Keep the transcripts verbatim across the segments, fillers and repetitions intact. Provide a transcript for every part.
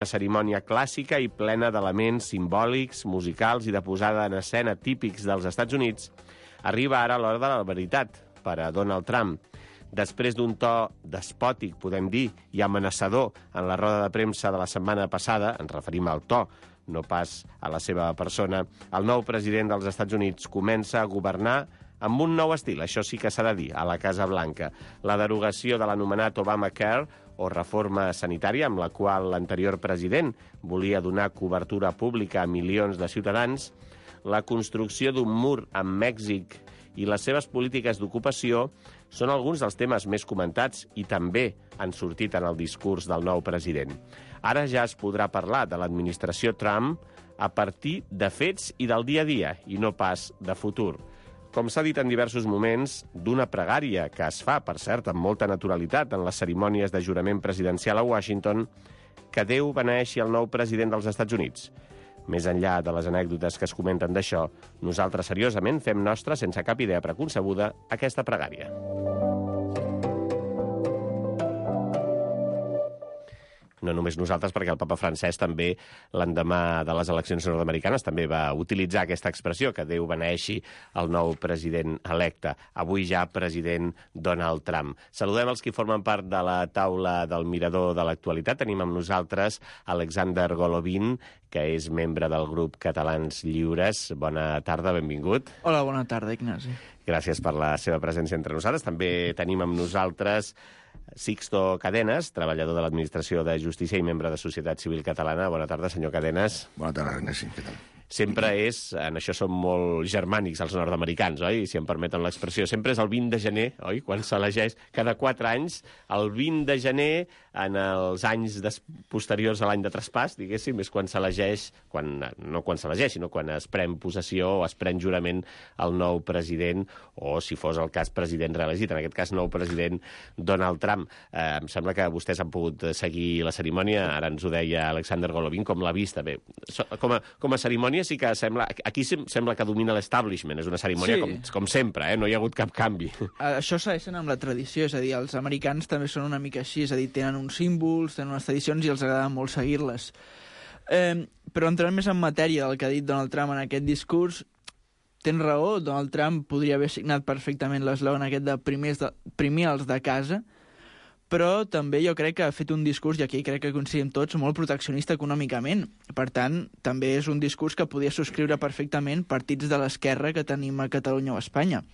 Una cerimònia clàssica i plena d'elements simbòlics, musicals i de posada en escena típics dels Estats Units, arriba ara l'hora de la veritat per a Donald Trump. Després d'un to despòtic, podem dir, i amenaçador en la roda de premsa de la setmana passada, ens referim al to, no pas a la seva persona, el nou president dels Estats Units comença a governar amb un nou estil, això sí que s'ha de dir, a la Casa Blanca. La derogació de l'anomenat Obamacare, o reforma sanitària, amb la qual l'anterior president volia donar cobertura pública a milions de ciutadans, la construcció d'un mur amb Mèxic i les seves polítiques d'ocupació són alguns dels temes més comentats i també han sortit en el discurs del nou president. Ara ja es podrà parlar de l'administració Trump a partir de fets i del dia a dia, i no pas de futur. Com s'ha dit en diversos moments, d'una pregària que es fa, per cert, amb molta naturalitat en les cerimònies de jurament presidencial a Washington, que Déu beneeixi el nou president dels Estats Units. Més enllà de les anècdotes que es comenten d'això, nosaltres seriosament fem nostra, sense cap idea preconcebuda, aquesta pregària. No només nosaltres, perquè el papa francès també, l'endemà de les eleccions nord-americanes, també va utilitzar aquesta expressió, que Déu beneeixi el nou president electe, avui ja president Donald Trump. Saludem els que formen part de la taula del Mirador de l'actualitat. Tenim amb nosaltres Alexander Golovin, que és membre del grup Catalans Lliures. Bona tarda, benvingut. Hola, bona tarda, Ignasi. Gràcies per la seva presència entre nosaltres. També tenim amb nosaltres Sixto Cadenas, treballador de l'Administració de Justícia i membre de Societat Civil Catalana. Bona tarda, senyor Cadenas. Bona tarda, Ignasi. Què tal? Sempre és, en això som molt germànics els nord-americans, oi? Si em permeten l'expressió. Sempre és el vint de gener, oi? Quan s'elegeix cada quatre anys, el vint de gener, en els anys des... posteriors a l'any de traspàs, diguéssim, és quan s'elegeix, quan, no quan s'elegeix, sinó quan es pren possessió o es pren jurament el nou president, o, si fos el cas, president reelegit, en aquest cas, nou president Donald Trump. Eh, em sembla que vostès han pogut seguir la cerimònia, ara ens ho deia Alexander Golovin, com l'ha vista. Bé, com a, com a cerimònia sí que sembla... Aquí sembla que domina l'establishment, és una cerimònia sí. com, com sempre, eh? No hi ha hagut cap canvi. Això segueixen amb la tradició, és a dir, els americans també són una mica així, és a dir, tenen uns símbols, tenen unes tradicions i els agrada molt seguir-les. Eh, però entrant més en matèria del que ha dit Donald Trump en aquest discurs, tens raó, Donald Trump podria haver signat perfectament l'eslògan aquest de primer els de casa, però també jo crec que ha fet un discurs, i aquí crec que coincidim tots, molt proteccionista econòmicament. Per tant, també és un discurs que podia subscriure perfectament partits de l'esquerra que tenim a Catalunya o a Espanya.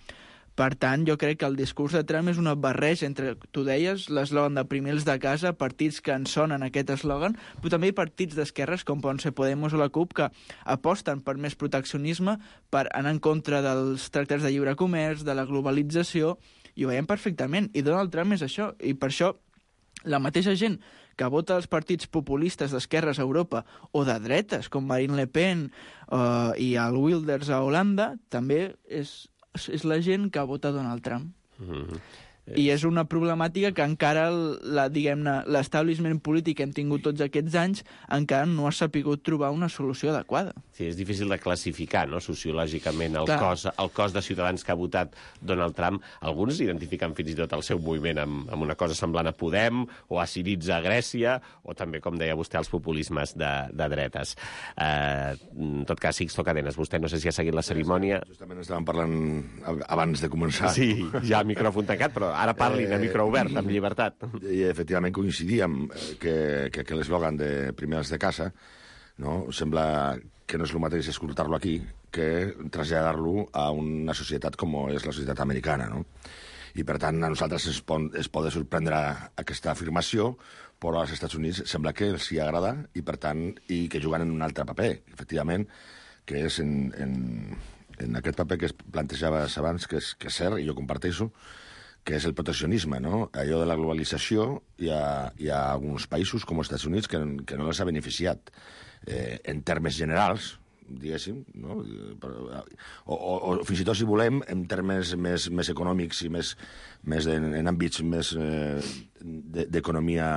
Per tant, jo crec que el discurs de Trump és una barreja entre, tu deies, l'eslògan de primer els de casa, partits que en sonen aquest eslògan, però també partits d'esquerres, com poden ser Podemos o la CUP, que aposten per més proteccionisme, per anar en contra dels tractats de lliure comerç, de la globalització, i ho veiem perfectament. I Donald Trump és això, i per això la mateixa gent que vota els partits populistes d'esquerres a Europa o de dretes, com Marine Le Pen uh, i el Wilders a Holanda, també és, és la gent que vota Donald Trump. Mm-hmm. I és una problemàtica que encara la, diguem-ne, l'establishment polític que hem tingut tots aquests anys encara no ha sapigut trobar una solució adequada. Sí, és difícil de classificar, no?, sociològicament el cos, el cos de ciutadans que ha votat Donald Trump. Alguns identifiquen fins i tot el seu moviment amb, amb una cosa semblant a Podem o a Syriza a Grècia, o també, com deia vostè, els populismes de, de dretes. Eh, en tot cas, Sixto Cadenas, vostè no sé si ha seguit la cerimònia. Justament estàvem parlant abans de començar. Sí, ja micròfon tancat, però ara parlin a micro obert, amb llibertat. I efectivament coincidíem que, que, que l'eslògan de primer els de casa, no, sembla que no és el mateix escoltar-lo aquí que traslladar-lo a una societat com és la societat americana, no? I, per tant, a nosaltres es, pot, es pot sorprendre aquesta afirmació, però als Estats Units sembla que els hi agrada i, per tant, i que juguen en un altre paper, efectivament, que és en, en, en aquest paper que es plantejava abans, que és, que és cert, i jo comparteixo, que és el proteccionisme, no? Allò de la globalització, hi ha, hi ha alguns països, com els Estats Units, que, que no els ha beneficiat eh, en termes generals, diguéssim, no? O, o, o fins i tot, si volem, en termes més, més econòmics i més, més en, en àmbits més eh, d'economia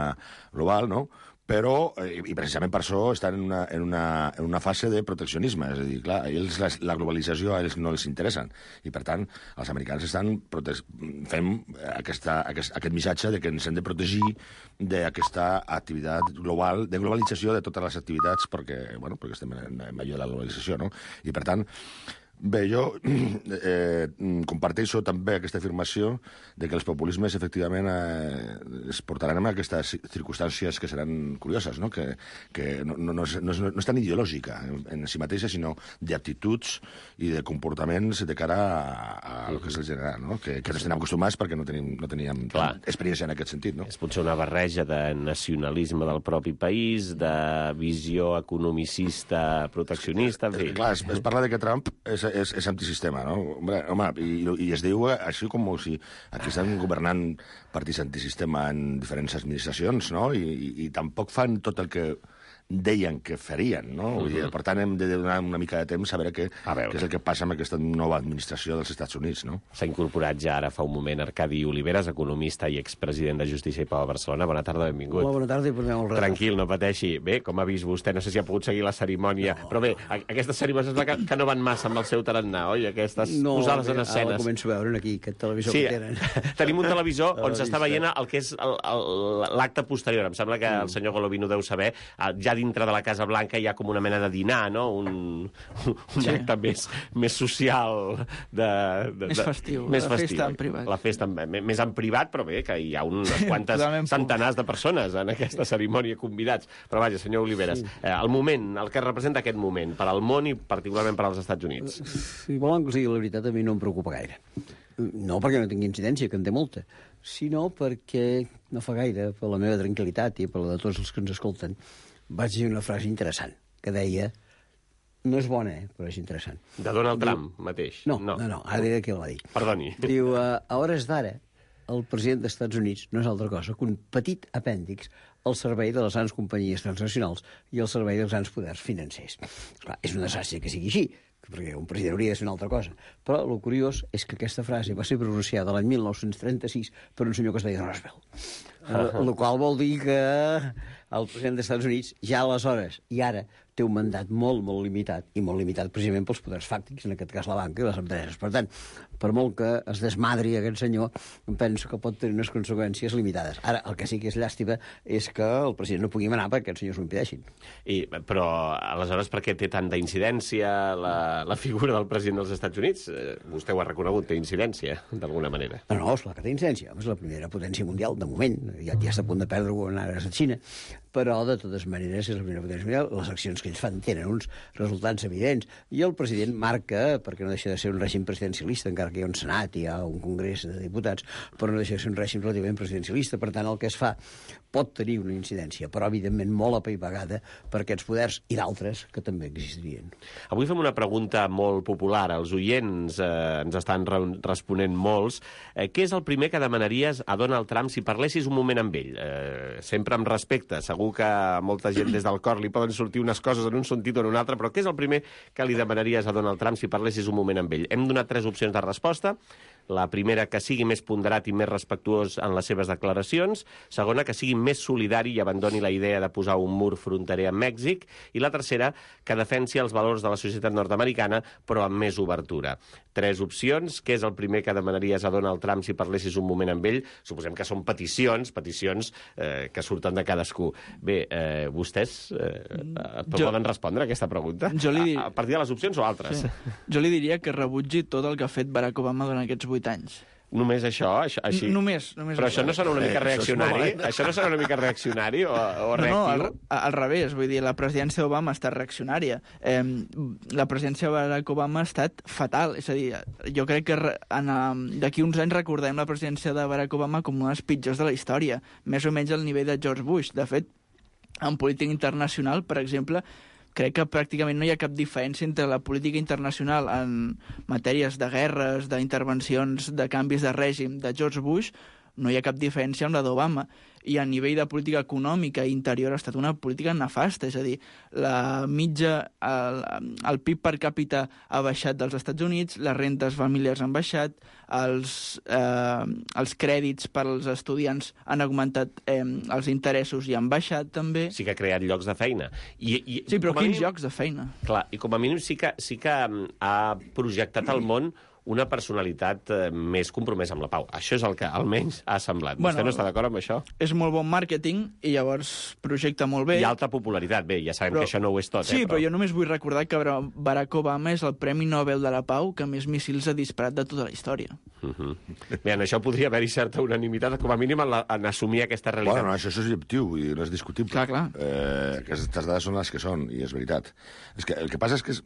global, no? però, eh, i precisament per això estan en una, en una, en una fase de proteccionisme. És a dir, clar, a ells la, la globalització a ells no els interessa. I, per tant, els americans estan prote fent aquesta, aquest, aquest missatge de que ens hem de protegir d'aquesta activitat global, de globalització de totes les activitats, perquè, bueno, perquè estem en, en medio de la globalització, no? I, per tant, bé, jo eh, comparteixo també aquesta afirmació de que els populismes efectivament eh, es portaran a aquestes circumstàncies que seran curioses, no? que, que no, no, no, és, no, és, no és tan ideològica en, en si mateixa, sinó d'actituds i de comportaments de cara a, a el que és el general, no? que, que no estem acostumats perquè no, tenim, no teníem experiència en aquest sentit. No? És potser una barreja de nacionalisme del propi país, de visió economicista, proteccionista, en fi. Clar, es, es parla de que Trump és és, és antisistema, no? Home, home i, i es diu així com si aquí estan governant partits antisistema en diferents administracions, no? I, i, i tampoc fan tot el que deien que farien, no? Uh -huh. Per tant, hem de donar una mica de temps a veure què, a veure. què és el que passa amb aquesta nova administració dels Estats Units, no? S'ha incorporat ja ara fa un moment Arcadi Oliveres, economista i expresident de Justícia i Pau a Barcelona. Bona tarda, benvingut. Hola, bona tarda i portem el res. Tranquil, no pateixi. Bé, com ha vist vostè, no sé si ha pogut seguir la cerimònia, no. Però bé, aquestes cerimònies que, que no van massa amb el seu tarannà, oi? Aquestes no, posades en escenes. No, ara començo a veure aquí, aquest televisor sí, que tenen. Tenim un televisor on s'està veient el que és l'acte posterior. Em sembla que el senyor Golovin ho deu saber. Ja dintre de la Casa Blanca hi ha com una mena de dinar, no? Un, un sí. acte més, més social. De, de, més festiu. Més la festiu. Festa en privat. La festa en, més en privat, però bé, que hi ha unes quantes centenars de persones en aquesta cerimònia convidats. Però vaja, senyor Oliveres, sí. eh, el moment, el que representa aquest moment per al món i particularment per als Estats Units. Si volen que sigui la veritat, a mi no em preocupa gaire. No perquè no tingui incidència, que en té molta, sinó perquè no fa gaire, per la meva tranquil·litat i per la de tots els que ens escolten, vaig dir una frase interessant, que deia... No és bona, eh, però és interessant. De Donald Diu... Trump mateix? No, no, no, no, ara diré qui el va dir. Perdoni. Diu, a hores d'ara, el president dels Estats Units no és altra cosa que un petit apèndix al servei de les grans companyies transnacionals i al servei dels grans poders financers. Clar, és una desgràcia que sigui així, perquè un president hauria de ser una altra cosa. Però el curiós és que aquesta frase va ser pronunciada l'any mil nou-cents trenta-sis per un senyor que es deia Roosevelt. El uh -huh. qual vol dir que el president dels Estats Units ja aleshores i ara té un mandat molt, molt limitat, i molt limitat precisament pels poders fàctics, en aquest cas la banca i les empreses. Per tant, per molt que es desmadri aquest senyor, penso que pot tenir unes conseqüències limitades. Ara, el que sí que és llàstima és que el president no pugui manar perquè aquests senyors ho impedeixin. I, però, aleshores, per què té tanta incidència la, la figura del president dels Estats Units? Eh, vostè ho ha reconegut, té incidència, d'alguna manera. No, no, és la que té incidència. És la primera potència mundial, de moment. Ja, ja està a punt de perdre-ho en ara a Xina. Però, de totes maneres, és la primera potència mundial. Les accions que ells fan tenen uns resultats evidents. I el president marca, perquè no deixa de ser un règim presidencialista, encara que hi ha un senat i hi ha un congrés de diputats, però no deixa de ser un règim relativament presidencialista. Per tant, el que es fa pot tenir una incidència, però, evidentment, molt apaivagada per aquests poders i d'altres que també existirien. Avui fem una pregunta molt popular. Els oients eh, ens estan re responent molts. Eh, què és el primer que demanaries a Donald Trump si parlessis un moment amb ell? Eh, sempre amb respecte. Segur que a molta gent des del cor li poden sortir unes coses en un sentit o en un altre, però què és el primer que li demanaries a Donald Trump si parlessis un moment amb ell? Hem donat tres opcions de resposta. La primera, que sigui més ponderat i més respectuós en les seves declaracions. Segona, que sigui més solidari i abandoni la idea de posar un mur fronterer amb Mèxic. I la tercera, que defensi els valors de la societat nord-americana, però amb més obertura. Tres opcions. Què és el primer que demanaries a Donald Trump si parlessis un moment amb ell? Suposem que són peticions, peticions eh, que surten de cadascú. Bé, eh, vostès eh, jo, poden respondre a aquesta pregunta? Jo li dir... a, a partir de les opcions o altres? Sí. Jo li diria que rebutgi tot el que ha fet Barack Obama durant aquests vuit anys. Només això? això així? Només, només. Però això no serà una mica reaccionari? Això no serà una mica reaccionari o, o reactiu? No, no, al, al revés. Vull dir, la presidència d'Obama ha estat reaccionària. Eh, la presidència de Barack Obama ha estat fatal. És a dir, jo crec que d'aquí uns anys recordem la presidència de Barack Obama com una de les pitjors de la història. Més o menys al nivell de George Bush. De fet, en política internacional, per exemple, crec que pràcticament no hi ha cap diferència entre la política internacional en matèries de guerres, d'intervencions, de canvis de règim de George Bush, no hi ha cap diferència amb la d'Obama. I a nivell de política econòmica i interior ha estat una política nefasta, és a dir, la mitja, el, el P I B per càpita ha baixat dels Estats Units, les rentes familiars han baixat, els, eh, els crèdits per als estudiants han augmentat, eh, els interessos i han baixat també. Sí que ha creat llocs de feina. I, i, Sí, però com a quins mínim- llocs de feina? Clar, i com a mínim sí que, sí que mm, ha projectat al món una personalitat eh, més compromesa amb la pau. Això és el que almenys ha semblat. Bueno, Vostè no està d'acord amb això? És molt bon màrqueting i llavors projecta molt bé. I alta popularitat. Bé, ja sabem Però- que això no ho és tot, Sí, eh? però jo només vull recordar que Barack Obama és el Premi Nobel de la Pau que més míssils ha disparat de tota la història. Uh -huh. Bé, en això podria haver-hi certa unanimitat, com a mínim en, la, en assumir aquesta realitat. Bueno, no, això és objectiu, vull dir, no és discutible. Clar, clar. Eh, aquestes dades són les que són, i és veritat. És que el que passa és que, és,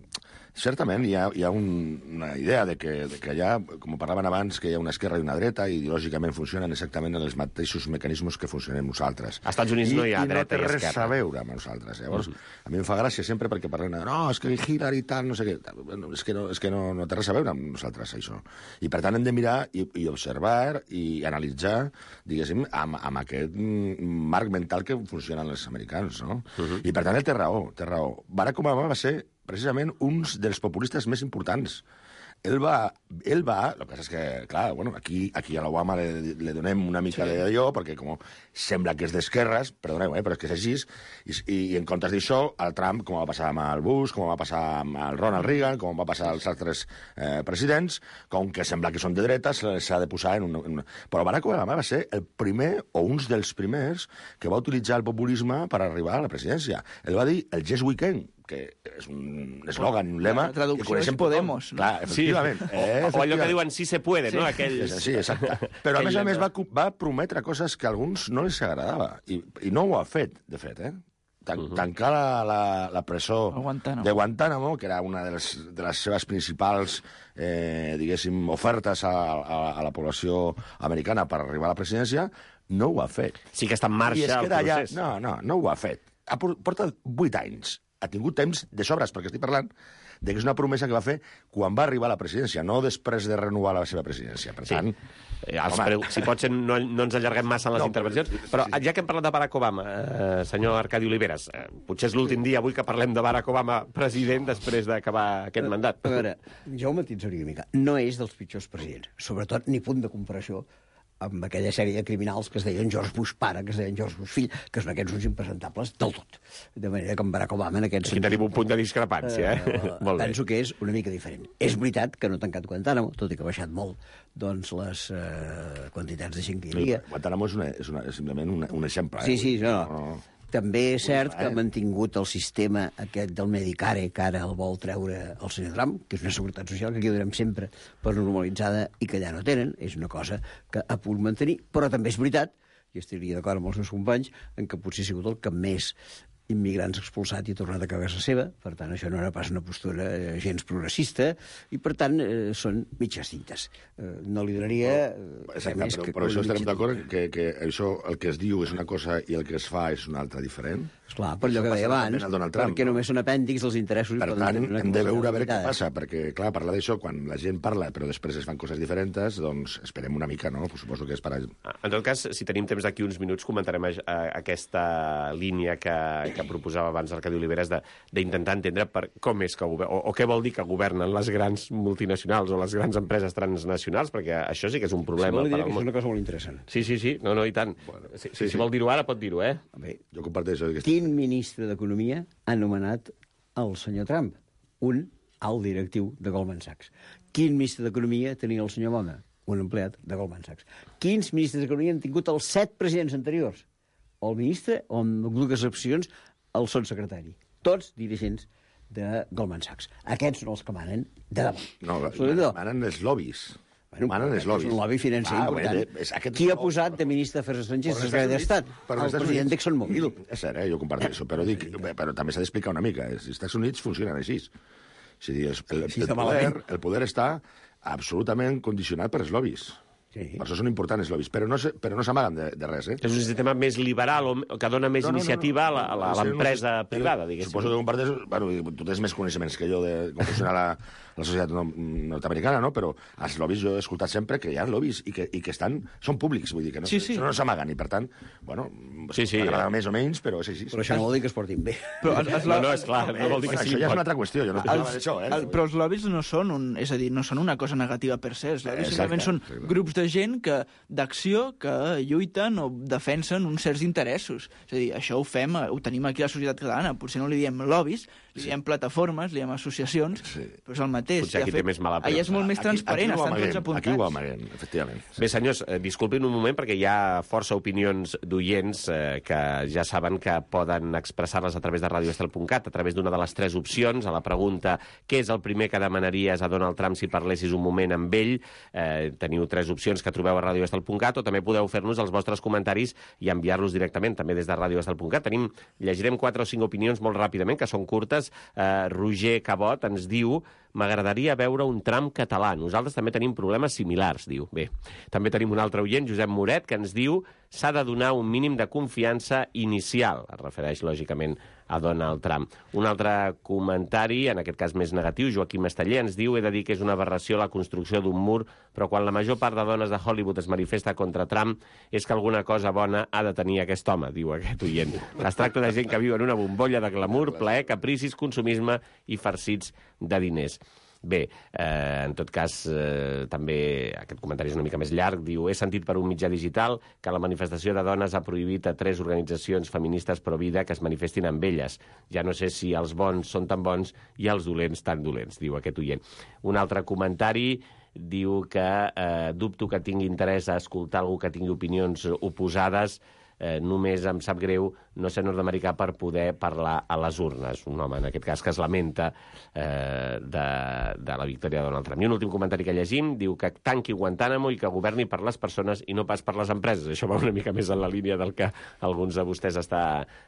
certament, hi ha, hi ha un, una idea de que, de que hi ha, com parlaven abans, que hi ha una esquerra i una dreta, i ideològicament funcionen exactament en els mateixos mecanismes que funcionem nosaltres. Als Estats Units I, no hi ha i dreta i no té esquerra. res a veure amb nosaltres. Llavors, a mi em fa gràcia sempre perquè parlen de no, és que Hillary i tal, no sé què. Bueno, és que, no, és que no, no té res a veure amb nosaltres, això. I, per tant, hem de mirar i, i observar i analitzar, diguéssim, amb, amb aquest mm, marc mental que funcionen els americans, no? Uh -huh. I, per tant, ell té raó, té raó. Barack Obama va ser, precisament, un dels populistes més importants. Ell va, ell va, el que passa és que, clar, bueno, aquí, aquí a l'Obama le, le donem una mica sí. d'allò, perquè com sembla que és d'esquerres, perdoneu, eh, però és que és així, i, i en comptes d'això, el Trump, com va passar amb el Bush, com va passar amb el Ronald Reagan, com va passar als altres eh, presidents, com que sembla que són de dretes, s'ha de posar en un, en una... Però Barack Obama va ser el primer, o uns dels primers, que va utilitzar el populisme per arribar a la presidència. Ell va dir el Yes We Can, que és un eslògan, un lema... La traducció que coneixem és Podemos, tothom. no? Clar, efectivament. Sí. Eh, O allò que diuen sí se puede, Sí. no? Aquell... Sí, exacte. Però, a més a més, va, va prometre coses que a alguns no els agradava. I, i no ho ha fet, de fet, eh? Tan, uh -huh. Tancar la, la, la presó A Guantánamo. de Guantánamo, que era una de les, de les seves principals, eh, diguéssim, ofertes a, a, a la població americana per arribar a la presidència, no ho ha fet. Sí que està en I marxa es el queda allà... procés. No, no, no ho ha fet. Ha, por- porta vuit anys. Ha tingut temps de sobres, perquè estic parlant de que és una promesa que va fer quan va arribar a la presidència, no després de renovar la seva presidència. Per Sí. tant, Eh, els home, preu, si pot ser, no, no ens allarguem massa en les No, intervencions, però- però ja que hem parlat de Barack Obama, eh, senyor Arcadi Oliveres, eh, potser és l'últim dia avui que parlem de Barack Obama president després d'acabar aquest mandat. A veure, jo ho matissaria una mica. No és dels pitjors presidents. Sobretot, ni punt de comparació amb aquella sèrie de criminals que es deien George Bush pare, que es deien George Bush fill, que són aquests uns impresentables del tot. De manera que amb Barack Obama en aquest Aquí tenim un punt de discrepància, eh? Eh, Molt bé. penso que és una mica diferent. És veritat que no ha tancat Guantánamo, tot i que ha baixat molt doncs, les eh, quantitats de gent que hi havia. Guantánamo és, una, és, una, és simplement un, un exemple. Sí, eh? sí, no. no. També és cert eh? que ha mantingut el sistema aquest del Medicare, que ara el vol treure el senyor Trump, que és una seguretat social que aquí donem sempre per normalitzada i que allà no tenen. És una cosa que ha pogut mantenir, però també és veritat, i estaria d'acord amb els meus companys, en què potser ha sigut el que més immigrants expulsat i tornat a casa seva. Per tant, això no era pas una postura eh, gens progressista, i per tant eh, són mitges cintes. Eh, no li donaria... eh, Exacte, més però, que però una això estarem mitja d'acord tinta. que, que això, el que es diu és una cosa i el que es fa és una altra diferent. Esclar, per allò que Això deia passa abans, també al Donald Trump, perquè no? només són apèndix els interessos... i Per poden tant, tenir una hem de veure a veure què limitada. passa, perquè, clar, parlar d'això, quan la gent parla, però després es fan coses diferents, doncs esperem una mica, no? Suposo que és per... En tot cas, si tenim temps d'aquí uns minuts, comentarem a, a, aquesta línia que, que proposava abans Arcadi Oliveres de- d'intentar entendre per com és que gover- o, o què vol dir que governen les grans multinacionals o les grans empreses transnacionals, perquè això sí que és un Si problema vol, li per diré al que és món. una cosa molt interessant. Sí, sí, sí, no, no, i tant. Bueno, si, sí, si, sí. si vol dir-ho ara, pot dir-ho, eh? Bé, Jo comparteixo aquesta... quin ministre d'Economia ha nomenat el senyor Trump? Un alt directiu de Goldman Sachs. Quin ministre d'Economia tenia el senyor Obama? Un empleat de Goldman Sachs. Quins ministres d'Economia han tingut els set presidents anteriors? El ministre, o amb dues excepcions, el son secretari. Tots dirigents de Goldman Sachs. Aquests són els que manen de debò. No, Absolutament no. manen els lobbies. Bueno, manen els és lobbies. un lobby financer Ah, important. bé, és aquest- Qui ha posat de ministre d'Afers Estrangers Per al secretari Estats d'Estat? Units, per El Estats president Units. d'ExxonMobil. És cert, eh? Jo comparteixo, però, dic, bé, però també s'ha d'explicar una mica. Els Estats Units funcionen així. És a dir, el, el, Així el, de poder, malament. el poder està absolutament condicionat per els lobbies. Sí. Per això són importants els lobbies, però no, però no s'amaguen de, de res. Eh? És un sistema més liberal o que dona més no, no, iniciativa no, no, no. a l'empresa no, privada, diguéssim. Suposo que comparteix... Bueno, tu tens més coneixements que jo de com funciona la, la societat nord-americana, no? Però els lobbies jo he escoltat sempre que hi ha lobbies i que, i que estan, són públics, vull dir que no, sí, sí. no s'amaguen i, per tant, bueno, sí, sí, m'agrada ja. més o menys, però és així. Però això no vol dir que es portin bé. Però es, es, no, no, és clar, no vol dir que bueno, sí. Això ja és una altra qüestió, jo no parlava d'això, eh? El, però els lobbies no són, un, és a dir, no són una cosa negativa per se, els lobbies simplement són exacte. grups de gent que d'acció que lluiten o defensen uns certs interessos. És a dir, això ho fem, ho tenim aquí a la societat catalana. Potser no li diem lobbies, li diem sí. plataformes, li diem associacions, sí. però és el mateix. Potser aquí fet, té més mala allà és molt més aquí, transparent, aquí estan tots apuntats. Aquí ho amaguem, efectivament. Bé, senyors, eh, disculpin un moment perquè hi ha força opinions d'oients eh, que ja saben que poden expressar-les a través de radio estel punt cat, a través d'una de les tres opcions, a la pregunta què és el primer que demanaries a Donald Trump si parlessis un moment amb ell. Eh, teniu tres opcions que trobeu a radio estel punt cat o també podeu fer-nos els vostres comentaris i enviar-los directament també des de radio estel punt cat. Tenim, llegirem quatre o cinc opinions molt ràpidament, que són curtes. Eh, Roger Cabot ens diu: m'agradaria veure un Trump català. Nosaltres també tenim problemes similars, diu. Bé, també tenim un altre oient, Josep Moret, que ens diu: s'ha de donar un mínim de confiança inicial. Es refereix, lògicament, a Donald Trump. Un altre comentari, en aquest cas més negatiu, Joaquim Esteller, ens diu: he de dir que és una aberració la construcció d'un mur, però quan la major part de dones de Hollywood es manifesta contra Trump és que alguna cosa bona ha de tenir aquest home, diu aquest oient. Es tracta de gent que viu en una bombolla de glamour, plaer, capricis, consumisme i farcits de diners. Bé, eh, en tot cas, eh, també aquest comentari és una mica més llarg. Diu: he sentit per un mitjà digital que la manifestació de dones ha prohibit a tres organitzacions feministes pro vida que es manifestin amb elles. Ja no sé si els bons són tan bons i els dolents tan dolents, diu aquest oient. Un altre comentari diu que eh, dubto que tingui interès a escoltar algú que tingui opinions oposades. Eh, només em sap greu no ser nord-americà per poder parlar a les urnes. Un home, en aquest cas, que es lamenta eh, de, de la victòria de Donald Trump. I un últim comentari que llegim diu que tanqui Guantánamo i que governi per les persones i no pas per les empreses. Això va una mica més en la línia del que alguns de vostès està,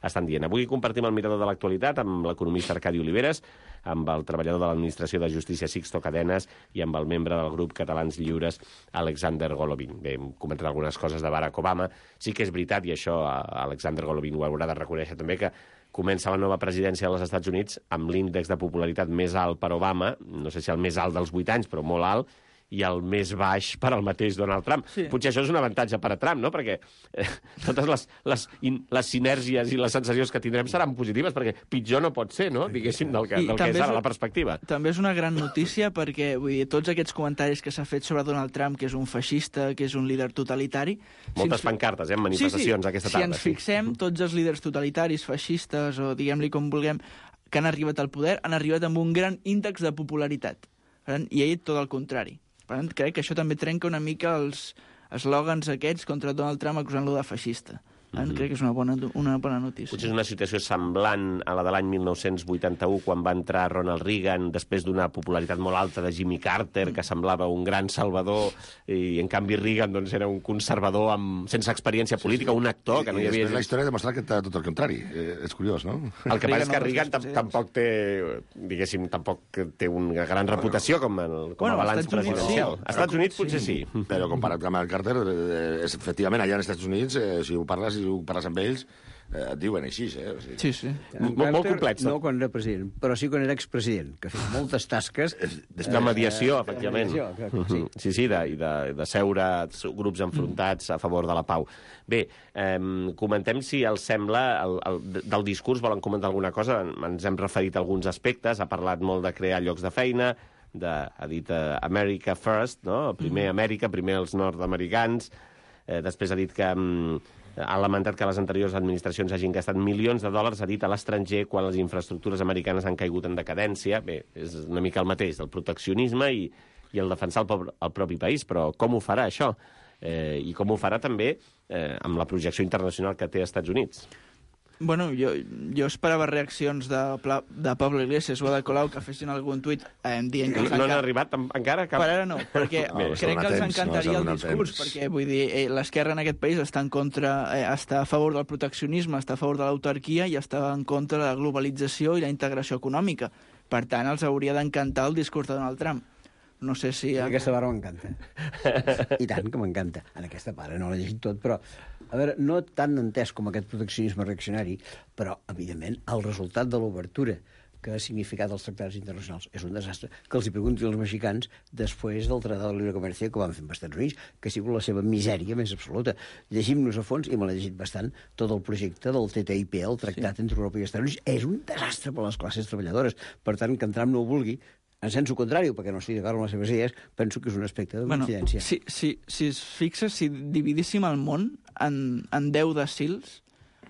estan dient. Avui compartim el mirador de l'actualitat amb l'economista Arcadi Oliveres, amb el treballador de l'Administració de Justícia Sixto Cadenes i amb el membre del grup Catalans Lliures, Alexander Golovin. Bé, hem comentat algunes coses de Barack Obama. Sí que és veritat, i això Alexander Golovin ho haurà de reconèixer també, que comença la nova presidència dels Estats Units amb l'índex de popularitat més alt per Obama, no sé si el més alt dels vuit anys, però molt alt, i el més baix per al mateix Donald Trump. Sí. Potser això és un avantatge per a Trump, no? Perquè eh, totes les, les, in, les sinergies i les sensacions que tindrem seran positives, perquè pitjor no pot ser, no? Diguéssim, del que, del que és ara la perspectiva. També és una gran notícia perquè, vull dir, tots aquests comentaris que s'ha fet sobre Donald Trump, que és un feixista, que és un líder totalitari... Moltes si pancartes, eh, en manifestacions sí, sí. aquesta tarda. Si ens fixem, tots els líders totalitaris, feixistes, o diguem-li com vulguem, que han arribat al poder, han arribat amb un gran índex de popularitat. I ell tot el contrari. Per tant, crec que això també trenca una mica els eslògans aquests contra Donald Trump acusant-lo de feixista. Mm-hmm. Crec que és una bona, una bona notícia. Potser és una situació semblant a la de l'any mil nou-cents vuitanta-u, quan va entrar Ronald Reagan, després d'una popularitat molt alta de Jimmy Carter, que semblava un gran salvador, i en canvi Reagan doncs, era un conservador amb, sense experiència política, un actor que no hi havia... I després la història ha demostrat que té tot el contrari. Eh, és curiós, no? El que passa és que Reagan tampoc té, diguéssim, tampoc té una gran reputació com, el, com bueno, a balanç presidencial. Als Estats Units potser sí. Però comparat amb el Carter, eh, efectivament, allà als Estats Units, eh, si ho parles si ho parles amb ells, eh, et diuen així, eh? O sigui, sí, sí. Molt, molt complex. No quan era president, però sí quan era expresident, que ha fet moltes tasques... De mediació, eh, efectivament. De mediació, que, sí. sí, sí, de, de, de seure grups enfrontats a favor de la pau. Bé, eh, comentem si els sembla, el, el, del discurs volen comentar alguna cosa, ens hem referit a alguns aspectes, ha parlat molt de crear llocs de feina, de, ha dit uh, America First, no? Primer Amèrica, primer els nord-americans, eh, després ha dit que... Um, ha lamentat que les anteriors administracions hagin gastat milions de dòlars, ha dit, a l'estranger quan les infraestructures americanes han caigut en decadència. Bé, és una mica el mateix, el proteccionisme i, i el defensar el, pobre, el propi país, però com ho farà això? Eh, I com ho farà també eh, amb la projecció internacional que té als Estats Units? Bueno, jo, jo esperava reaccions de, de Pablo Iglesias o de Colau que fessin algun tuit eh, dient que... No, no han arribat encara cap... Per ara no, perquè no, crec que els encantaria no, el discurs, temps. perquè vull dir, eh, l'esquerra en aquest país està en contra, eh, està a favor del proteccionisme, està a favor de l'autarquia i està en contra de la globalització i la integració econòmica. Per tant, els hauria d'encantar el discurs de Donald Trump. No sé si... Aquesta part m'encanta. I tant que m'encanta. En aquesta part, no l'he llegit tot, però... A veure, no tan entès com aquest proteccionisme reaccionari, però, evidentment, el resultat de l'obertura que ha significat els tractats internacionals és un desastre. Que els hi preguntin als mexicans després del Tractat de Libre Comercio que van fer amb els Estats Units, que ha sigut la seva misèria més absoluta. Llegim-nos a fons, i me l'he llegit bastant, tot el projecte del T T I P, el Tractat sí. entre Europa i Estats Units, és un desastre per a les classes treballadores. Per tant, que en Trump no ho vulgui, en sensu contrari, perquè no estic d'acord amb les seves idees, penso que és un aspecte de coincidència. Bueno, si, si, si es fixa, si dividíssim el món en, en deu decils,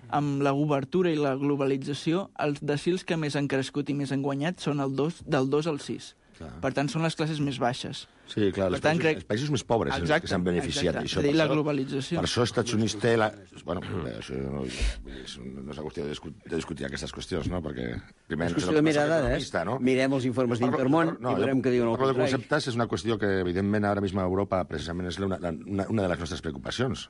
amb la obertura i la globalització, els decils que més han crescut i més han guanyat són el dos, del dos al sis. Clar. Per tant, són les classes més baixes. Sí, clar, els, tant, països, crec... els països més pobres exacte, que s'han beneficiat. Exacte, Això, és a dir, la això, globalització. Per això els Estats Units té la... Bueno, això no, no és una qüestió de discutir, de discutir aquestes qüestions, no? Perquè... Primer, és qüestió de mirar dades, no? Mirem els informes d'Intermón no, i veurem què diuen el contrari. contrari. De conceptes és una qüestió que, evidentment, ara mismo a Europa precisament és una, una, una de les nostres preocupacions.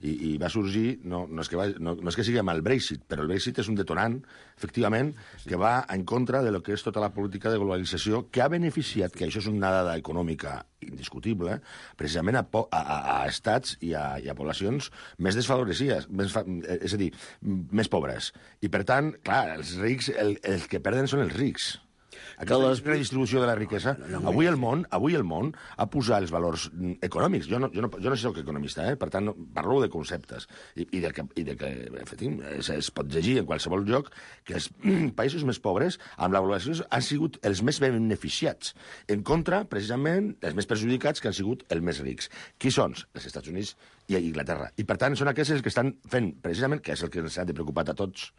I, i va sorgir, no, no, és que va, no, no és que sigui amb el Brexit, però el Brexit és un detonant, efectivament, que va en contra de lo que és tota la política de globalització, que ha beneficiat, que això és una dada econòmica indiscutible, precisament a, a, a estats i a, i a poblacions més desfavorecides, més fa, és a dir, més pobres. I, per tant, clar, els rics, el, els que perden són els rics. Aquesta les... redistribució de la riquesa, no, no, avui el món avui el món ha posat els valors econòmics. Jo no, jo no, jo no soc economista, eh? Per tant, no, parlo de conceptes. I, i, de que, i de que efectivament, es, es pot llegir en qualsevol lloc que els països més pobres, amb la globalització, han sigut els més beneficiats. En contra, precisament, els més perjudicats, que han sigut els més rics. Qui són? Els Estats Units i Inglaterra. I, per tant, són aquests que estan fent, precisament, que és el que ens ha de preocupar a tots,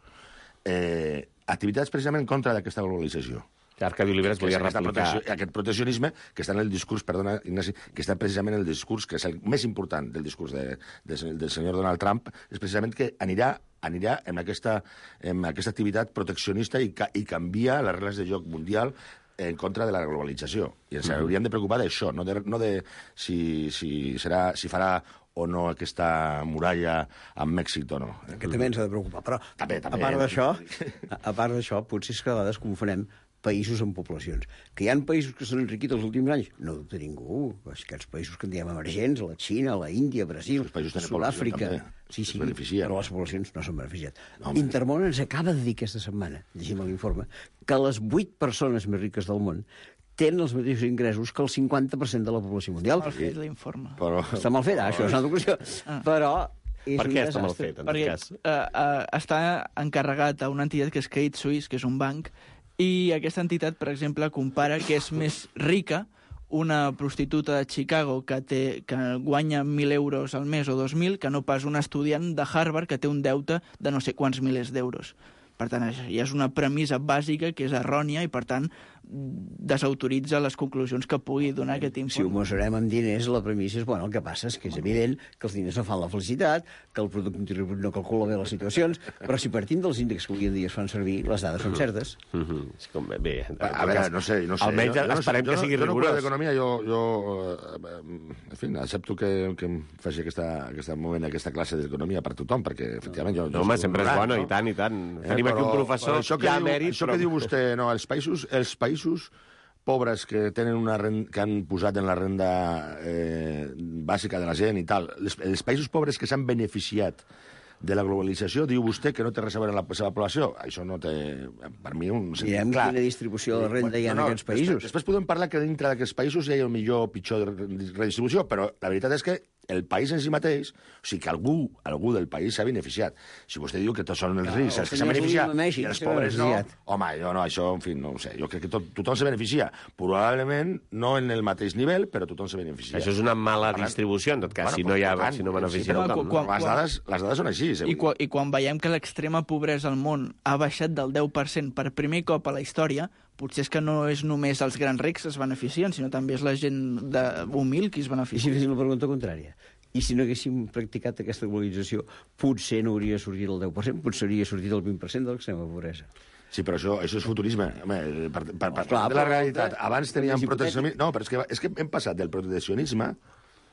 eh, activitats precisament en contra d'aquesta globalització. Arcadi Oliveres volia replicar... Aquest proteccionisme que està en el discurs, perdona, Ignasi, que està precisament en el discurs, que és el més important del discurs de, de, del senyor Donald Trump, és precisament que anirà anirà en aquesta, en aquesta activitat proteccionista i, ca, i canvia les regles de joc mundial en contra de la globalització. I ens hauríem de preocupar d'això, no de, no de si, si, serà, si farà o no aquesta muralla amb Mèxic o no. Que també ens ha de preocupar. Però, també, també, a part d'això, a part d'això, potser és que a vegades confonem països amb poblacions. Que hi ha països que s'han enriquit els últims anys? No dubta ningú. Aquests països que en diem emergents, la Xina, la Índia, Brasil, Sud-àfrica... Sí, sí, però les poblacions no s'han beneficiat. No, Intermón ens acaba de dir aquesta setmana, llegim l'informe, que les vuit persones més riques del món tenen els mateixos ingressos que el cinquanta per cent de la població mundial. Mal fet l'informe. Però... Està mal fet, ah, això és una altra qüestió. Ah. Però... És per què està mal fet, en Perquè, aquest cas? Uh, uh, està encarregat a una entitat que és Credit Suisse, que és un banc, i aquesta entitat, per exemple, compara que és més rica una prostituta de Chicago que, té, que guanya mil euros al mes o dos mil que no pas un estudiant de Harvard que té un deute de no sé quants milers d'euros. Per tant, ja és una premissa bàsica que és errònia i, per tant, desautoritza les conclusions que pugui donar aquest informe. Si ho mesurem amb diners, la premissa és, bueno, el que passa és que és evident que els diners no fan la felicitat, que el producte interior brut no calcula bé les situacions, però si partim dels índexs que avui en dia es fan servir, les dades són certes. Mm -hmm. És com, bé, a, a veure, no sé, no sé. Almenys jo, jo esperem no, que sigui jo rigorós. Jo no d'economia, jo, jo en fi, accepto que, que em faci aquesta, aquesta moment, aquesta classe d'economia per tothom, perquè, efectivament, jo... No, home, sempre és bona, no? I tant, i tant. Eh, Tenim però, aquí un professor això que ja diu, mèrit, això però... que diu vostè, no, els països, els països pobres que tenen una renda, que han posat en la renda eh, bàsica de la gent i tal, els, els països pobres que s'han beneficiat de la globalització, diu vostè que no té res a veure amb la seva població. Això no té, per mi, un sentit Mirem clar. Quina distribució de renda hi ha no, no, en aquests països. Després, després podem parlar que dintre d'aquests països hi ha el millor o pitjor redistribució, però la veritat és que el país en si mateix, o sigui que algú, algú del país s'ha beneficiat. Si vostè diu que tots són els rics, els que s'han beneficiat, i els pobres no, home, jo no, això, en fi, no ho sé. Jo crec que tot, tothom se beneficia. Probablement no en el mateix nivell, però tothom se beneficia. Això és una mala distribució, en tot cas, bueno, si no hi ha, tant, si no beneficia sí, tothom. Quan, no? Les, dades, les dades són així. I, quan, I quan veiem que l'extrema pobresa al món ha baixat del deu per cent per primer cop a la història, potser és que no és només els grans rics que es beneficien, sinó també és la gent de, humil qui es beneficia. I si féssim la pregunta contrària? I si no haguéssim practicat aquesta globalització, potser no hauria sortit el deu per cent, potser hauria sortit el vint per cent de l'extrema pobresa. Sí, però això, això és futurisme. Home, per, per, per, per de la realitat. Abans teníem proteccionisme... No, però és que, és que hem passat del proteccionisme...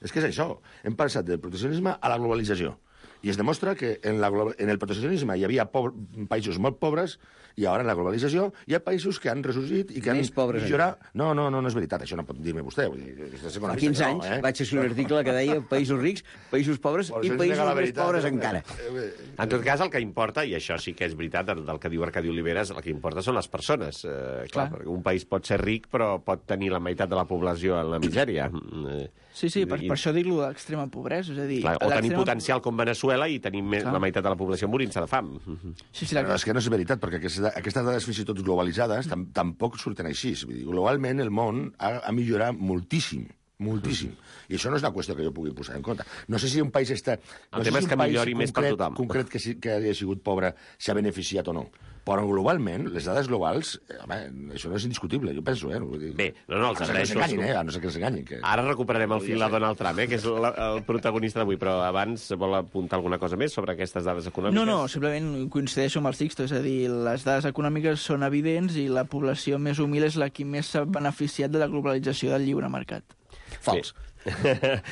És que és això. Hem passat del proteccionisme a la globalització. I es demostra que en, la, en el proteccionisme hi havia pobre, països molt pobres i ara en la globalització hi ha països que han ressorgit i que Més han pobres millorat... No, no, no, no és veritat, això no pot dir-me vostè. Vull dir, fa quinze anys no, eh? vaig escriure un article que deia països rics, països pobres Por i països més veritat, pobres eh? encara. En tot cas, el que importa, i això sí que és veritat, del que diu Arcadi Oliveres, el que importa són les persones. Eh, clar, clar. Un país pot ser ric, però pot tenir la meitat de la població en la misèria. Eh, Sí, sí, per, I... per això dic-lo d'extrema pobresa. És a dir, clar, o tenir potencial com Venezuela i tenir més, la meitat de la població morint-se de fam. Sí, sí, la... Però és que no és veritat, perquè aquesta, aquestes dades fins i tot globalitzades tam tampoc surten així. Vull dir, globalment el món ha, ha millorat moltíssim. Moltíssim. I això no és una qüestió que jo pugui posar en compte. No sé si un país està... No el tema sé si és que millori més per tothom. concret que, si, que hagi sigut pobre s'ha beneficiat o no. Però globalment, les dades globals, eh, home, això no és indiscutible, jo penso, eh? Vull dir... Bé, no, no, els agraeixo. A no ser que s'enganyin, eh? A no ser que s'enganyin. Que... Ara recuperarem el fil a Donald Trump, eh? Que és la, el protagonista d'avui, però abans vol apuntar alguna cosa més sobre aquestes dades econòmiques? No, no, simplement coincideixo amb el Sixto, és a dir, les dades econòmiques són evidents i la població més humil és la que més s'ha beneficiat de la globalització del lliure mercat. Fals. Bé.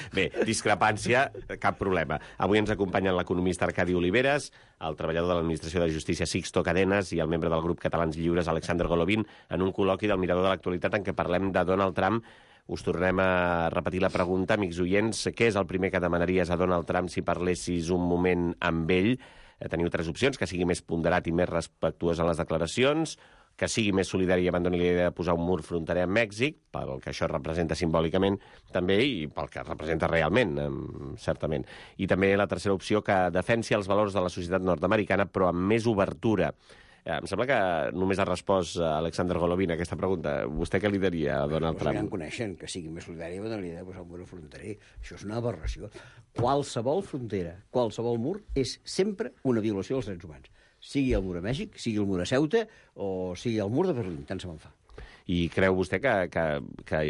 Bé, discrepància, cap problema. Avui ens acompanyen l'economista Arcadi Oliveres, el treballador de l'Administració de Justícia Sixto Cadenas i el membre del grup Catalans Lliures Alexander Golovin en un col·loqui del Mirador de l'Actualitat en què parlem de Donald Trump. Us tornem a repetir la pregunta, amics oients. Què és el primer que demanaries a Donald Trump si parlessis un moment amb ell? Teniu tres opcions: que sigui més ponderat i més respectuós en les declaracions, que sigui més solidari i abandoni la idea de posar un mur fronterer amb Mèxic, pel que això representa simbòlicament també i pel que representa realment, certament. I també la tercera opció, que defensi els valors de la societat nord-americana, però amb més obertura. Em sembla que només ha respost Alexander Golovin a aquesta pregunta. Vostè què li diria a Donald Trump? Ja en coneixen, que sigui més solidari i abandoni la idea de posar un mur fronterer. Això és una aberració. Qualsevol frontera, qualsevol mur, és sempre una violació dels drets humans. Sigui el mur a Mèxic, sigui el mur a Ceuta o sigui el mur de Berlín, tant se me'n fa. I creu vostè que, que, que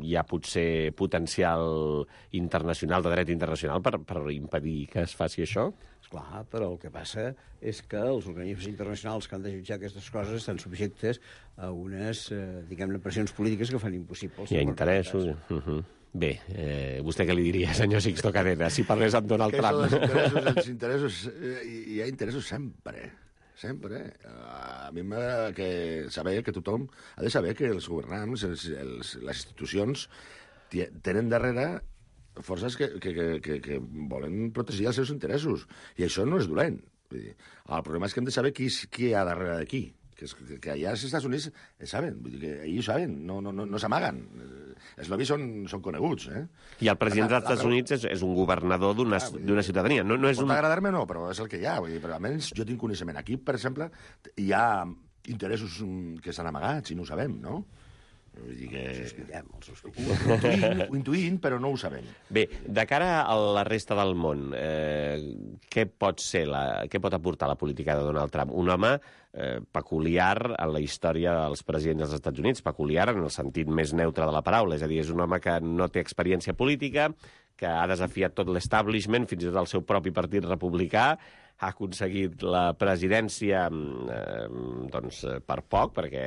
hi ha potser potencial internacional, de dret internacional, per, per impedir que es faci això? Esclar, però el que passa és que els organismes internacionals que han de jutjar aquestes coses estan subjectes a unes, eh, diguem-ne, pressions polítiques que fan impossible. Hi ha interessos. Uh -huh. Bé, eh, vostè què li diria, senyor Sixto Cadenas, si parlés amb Donald que Trump? Els interessos, els interessos, eh, hi ha interessos sempre, sempre. A mi m'agrada que saber que tothom ha de saber que els governants, els, els, les institucions, tenen darrere forces que, que, que, que, que volen protegir els seus interessos. I això no és dolent. El problema és que hem de saber qui, qui hi ha darrere de qui. Que, és, que allà als Estats Units saben, vull dir que ells saben, no, no, no, no s'amaguen. Els lobbies són, són coneguts, eh? I el president dels Estats Units és, és un governador d'una ah, ciutadania. No, no és pot un... agradar-me o no, però és el que hi ha. Vull dir, però almenys jo tinc coneixement. Aquí, per exemple, hi ha interessos que s'han amagat, si no ho sabem, no? Vull dir que... Ho sospitem, els sospitem. Ho intuïm, ho intuïm, però no ho sabem. Bé, de cara a la resta del món, eh, què pot ser, la, què pot aportar la política de Donald Trump? Un home eh, peculiar en la història dels presidents dels Estats Units, peculiar en el sentit més neutre de la paraula, és a dir, és un home que no té experiència política, que ha desafiat tot l'establishment, fins i tot el seu propi partit republicà, ha aconseguit la presidència eh, doncs, per poc, perquè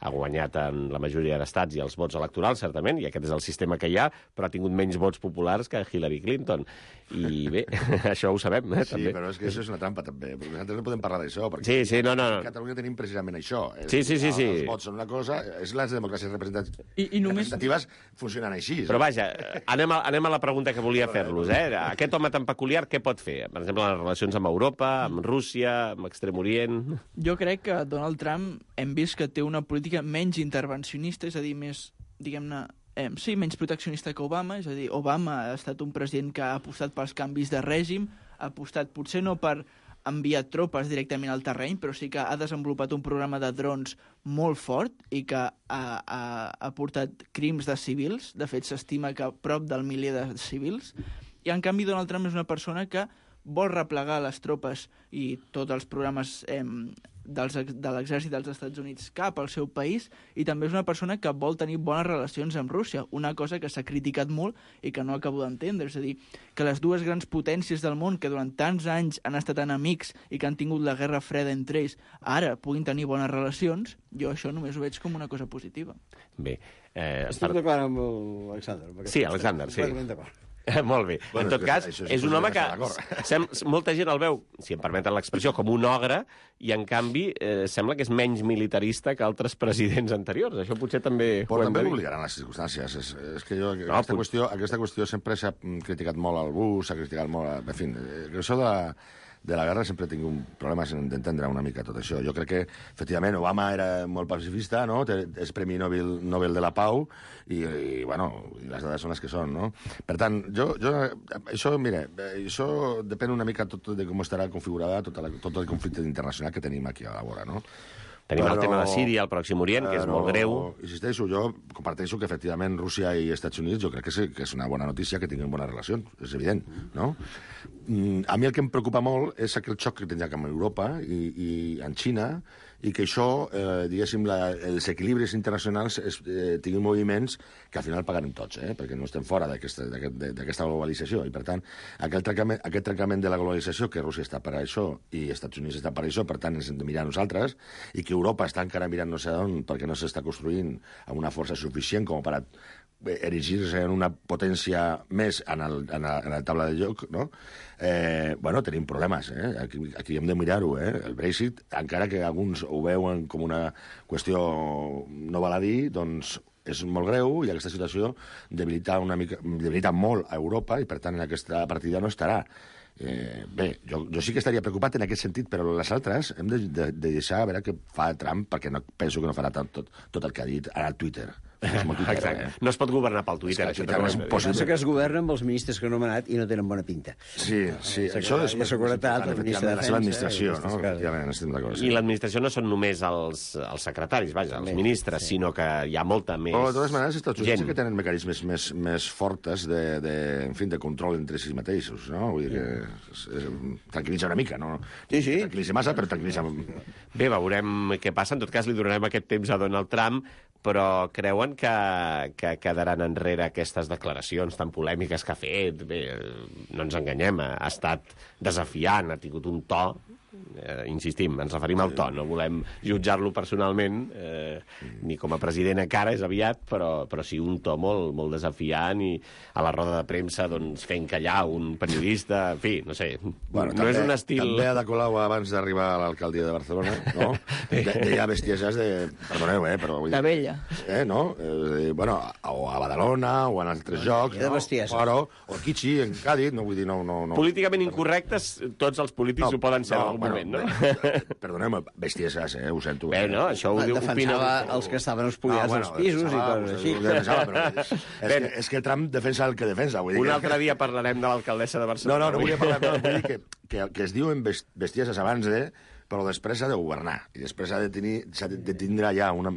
ha guanyat en la majoria d'estats i els vots electorals, certament, i aquest és el sistema que hi ha, però ha tingut menys vots populars que Hillary Clinton. I bé, això ho sabem, eh, sí, també. Sí, però és que això és una trampa, també, perquè nosaltres no podem parlar d'això, perquè sí, sí, no, no, no. a Catalunya tenim precisament això. Sí, sí, sí, sí. Els vots són una cosa, és les democràcies representatives, I, i només... representatives funcionen així. Però vaja, anem a, anem a la pregunta que volia fer-los, eh? Aquest home tan peculiar, què pot fer? Per exemple, les relacions amb Europa, amb Rússia, amb Extrem Orient... Jo crec que Donald Trump hem vist que té una política menys intervencionista, és a dir, més, diguem-ne, eh, sí, menys proteccionista que Obama, és a dir, Obama ha estat un president que ha apostat pels canvis de règim, ha apostat potser no per enviar tropes directament al terreny, però sí que ha desenvolupat un programa de drons molt fort i que ha, ha, ha portat crims de civils. De fet, s'estima que prop del miler de civils. I, en canvi, Donald Trump és una persona que vol replegar les tropes i tots els programes eh, dels, de l'exèrcit dels Estats Units cap al seu país, i també és una persona que vol tenir bones relacions amb Rússia, una cosa que s'ha criticat molt i que no acabo d'entendre. És a dir, que les dues grans potències del món, que durant tants anys han estat enemics i que han tingut la guerra freda entre ells, ara puguin tenir bones relacions, jo això només ho veig com una cosa positiva. Bé. Eh, Estic per... d'acord amb l'Alexander. Sí, Alexander, sí. Molt bé. Bueno, en tot és cas, que això és un home que d'acord. sem molta gent el veu, si em permeten l'expressió, com un ogre, i en canvi eh, sembla que és menys militarista que altres presidents anteriors. Això potser també Però ho hem també de dir. l'obligaran les circumstàncies. És, és que jo, No, aquesta, pot- qüestió, aquesta qüestió sempre s'ha criticat molt al Bush, s'ha criticat molt... A, en fi, eh, això de la, de la guerra sempre he tingut problemes en d'entendre una mica tot això. Jo crec que, efectivament, Obama era molt pacifista, no? Té- És Premi Nobel, Nobel de la Pau, i, i, bueno, i les dades són les que són, no? Per tant, jo, jo això, mira, això depèn una mica tot de com estarà configurada tot, la, tot el conflicte internacional que tenim aquí a la vora, no? Tenim el Però- tema de Síria, el Pròxim Orient, que és Però, molt greu. Insisteixo, jo comparteixo que efectivament Rússia i Estats Units jo crec que és, que és una bona notícia que tinguin bones relacions, és evident, no? Mm, a mi el que em preocupa molt és aquell xoc que tindrà amb Europa i, i en Xina, i que això, eh, diguéssim, la, els equilibris internacionals es, eh, tinguin moviments que al final pagarem tots, eh? Perquè no estem fora d'aquesta d'aquesta globalització. I, per tant, aquest trencament, aquest trencament de la globalització, que Rússia està per això i Estats Units està per això, per tant, ens hem de mirar a nosaltres, i que Europa està encara mirant no sé on perquè no s'està construint amb una força suficient com per a erigir-se en una potència més en, el, en, la, en la taula de joc, no? Eh, bueno, tenim problemes, eh? Aquí, aquí hem de mirar-ho, eh? El Brexit, encara que alguns ho veuen com una qüestió no baladí, doncs és molt greu i aquesta situació debilita, una mica, debilita molt a Europa i, per tant, en aquesta partida no estarà. Eh, bé, jo, jo sí que estaria preocupat en aquest sentit, però les altres hem de, de, de deixar a veure què fa Trump, perquè no, penso que no farà tot, tot, tot el que ha dit ara al Twitter. És molt Twitter, Exacte. eh? No es pot governar pel Twitter, És que això Twitter també és ho hem de dir. impossible. Pensa que es governa amb els ministres que han nomenat i no tenen bona pinta. Sí, sí, Sí, això és la seguretat, el ministre de la seva Defensa, administració, i no? aquestes coses. Efectivament, estem d'acord. I Sí. l'administració no són només els, els secretaris, vaja, els També, ministres, sí. sinó que hi ha molta més Però, de totes maneres, els Estats Units gent. sí que tenen mecanismes més, més fortes de, de, en fi, de control entre si mateixos, no? Vull dir que es, es, tranquil·litza una mica, no? Sí, sí. Tranquil·litza massa, però tranquil·litza... Bé, veurem què passa. En tot cas, li donarem aquest temps a Donald Trump, però creuen que, que quedaran enrere aquestes declaracions tan polèmiques que ha fet? Bé, no ens enganyem, ha estat desafiant, ha tingut un to, eh, insistim, ens referim al to, no volem jutjar-lo personalment, eh, ni com a president encara, és aviat, però, però sí un to molt, molt desafiant i a la roda de premsa doncs, fent callar un periodista, en fi, no sé, Bueno, no també, és un estil... També a de Colau, abans d'arribar a l'alcaldia de Barcelona, no? De, deia bestieses de... Perdoneu, eh? Però, vull dir, De vella. Eh, no? Eh, bueno, o a Badalona, o en altres jocs, de no? bestieses. Però, o a Kichi, en Cádiz, no vull dir, no... no, no. Políticament incorrectes, tots els polítics ho poden ser en algun moment, no? Bé, perdoneu-me, bestieses, eh? Ho sento. Bé, no, això ho diu, opina... Defensava els que estaven espoliats als pisos i coses així. Defensava, però és, és, que, és que Trump defensa el que defensa. Vull dir Un que... altre dia parlarem de l'alcaldessa de No, Barcelona. no, no volia parlar, no, vull dir que, que, que es diuen best- bestieses abans de, però després s'ha de governar, i després s'ha de, tenir, s'ha de, de tindre ja una,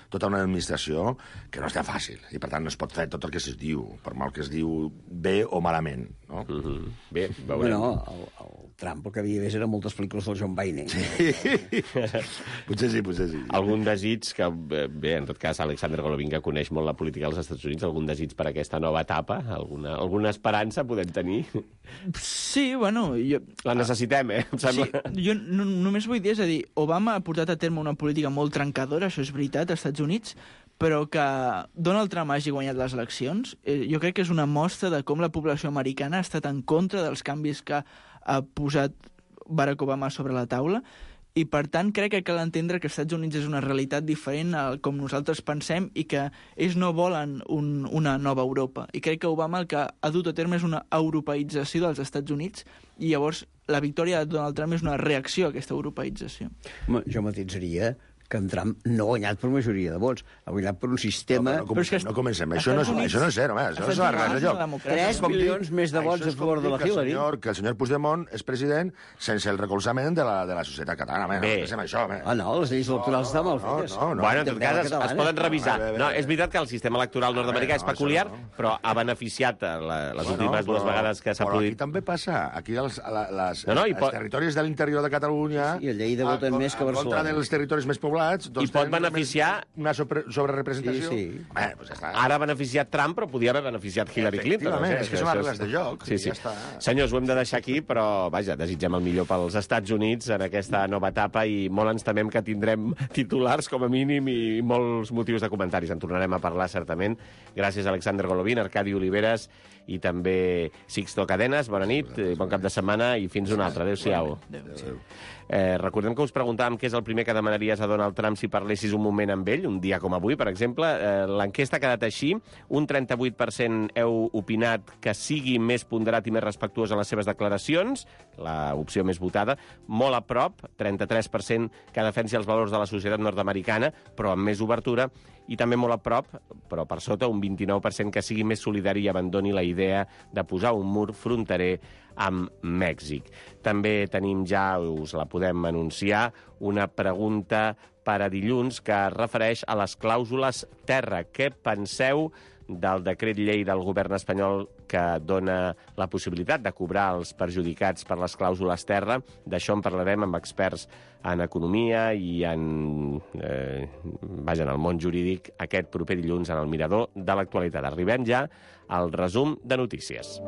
tota una administració que no està fàcil, i per tant no es pot fer tot el que es diu, per mal que es diu bé o malament, no? Mm -hmm. Bé, veurem. Bueno, el, el Trump el que havia vist eren moltes pel·lícules del John Wayne. Potser sí, potser sí. Algun desig que, bé, en tot cas, Alexander Golovin, que coneix molt la política dels Estats Units, algun desig per aquesta nova etapa? Alguna, alguna esperança podem tenir? Sí, bueno, jo... La necessitem, eh? Em Sí, sembla... jo no, només vull dir, és a dir, Obama ha portat a terme una política molt trencadora, això és veritat, als Estats Units, però que Donald Trump hagi guanyat les eleccions, eh, jo crec que és una mostra de com la població americana ha estat en contra dels canvis que ha posat Barack Obama sobre la taula, i per tant crec que cal entendre que els Estats Units és una realitat diferent a com nosaltres pensem i que ells no volen un, una nova Europa. I crec que Obama el que ha dut a terme és una europeïtzació dels Estats Units, i llavors la victòria de Donald Trump és una reacció a aquesta europeïtzació. Home, jo matitzaria que en Trump no ha guanyat per majoria de vots, ha guanyat per un sistema... No, no, comencem, és que no comencem. Això no, és, Estats això no és cert, home. Això Estats no és res de Units lloc. és una democràcia. Tres Això és com dir- milions més de això vots és a favor com de dir la que el Hillary. senyor, que el senyor Puigdemont és president sense el recolzament de la, de la societat catalana. Home, Bé. no pensem això, home. Ah, no, les lleis electorals estan mal no, fetes. no, no. Bueno, en tot També cas, la es, es catalana. poden revisar. No, bé, bé, No, bé. és veritat que el sistema electoral nord-americà és no, això peculiar, no. però ha beneficiat a la, les últimes dues vegades que s'ha però produït. aquí també passa. Aquí els, la, les, No, no, i els pot- territoris de l'interior de Catalunya... Sí, a Lleida a- voten a- més que a En contra Barcelona. dels territoris més poblats controlats... I pot beneficiar... Una sobre, sobrerepresentació. Sí, sí. Bé, doncs ja està. Ara ha beneficiat Trump, però podia haver beneficiat Hillary Clinton. Efectivament, No sé, és que són això les regles de joc. Sí, i sí. Ja està. Senyors, ho hem de deixar aquí, però, vaja, desitgem el millor pels Estats Units en aquesta nova etapa i molt ens temem que tindrem titulars, com a mínim, i molts motius de comentaris. En tornarem a parlar, certament. Gràcies a Alexander Golovin, Arcadi Oliveres i també Sixto Cadenes. Bona nit, bon cap de setmana i fins una altra. Adéu-siau. Adéu. Eh, recordem que us preguntàvem què és el primer que demanaries a Donald Trump si parlessis un moment amb ell, un dia com avui, per exemple. Eh, L'enquesta ha quedat així. Un trenta-vuit per cent heu opinat que sigui més ponderat i més respectuós en les seves declaracions, l'opció més votada. Molt a prop, trenta-tres per cent que defensi els valors de la societat nord-americana, però amb més obertura. I també molt a prop, però per sota, un vint-i-nou per cent que sigui més solidari i abandoni la idea de posar un mur fronterer amb Mèxic. També tenim ja, us la podem anunciar, una pregunta per a dilluns que es refereix a les clàusules terra. Què penseu del decret llei del govern espanyol que dona la possibilitat de cobrar els perjudicats per les clàusules terra? D'això en parlarem amb experts en economia i en, eh, vaja, en el món jurídic aquest proper dilluns en el Mirador de l'Actualitat. Arribem ja al resum de notícies.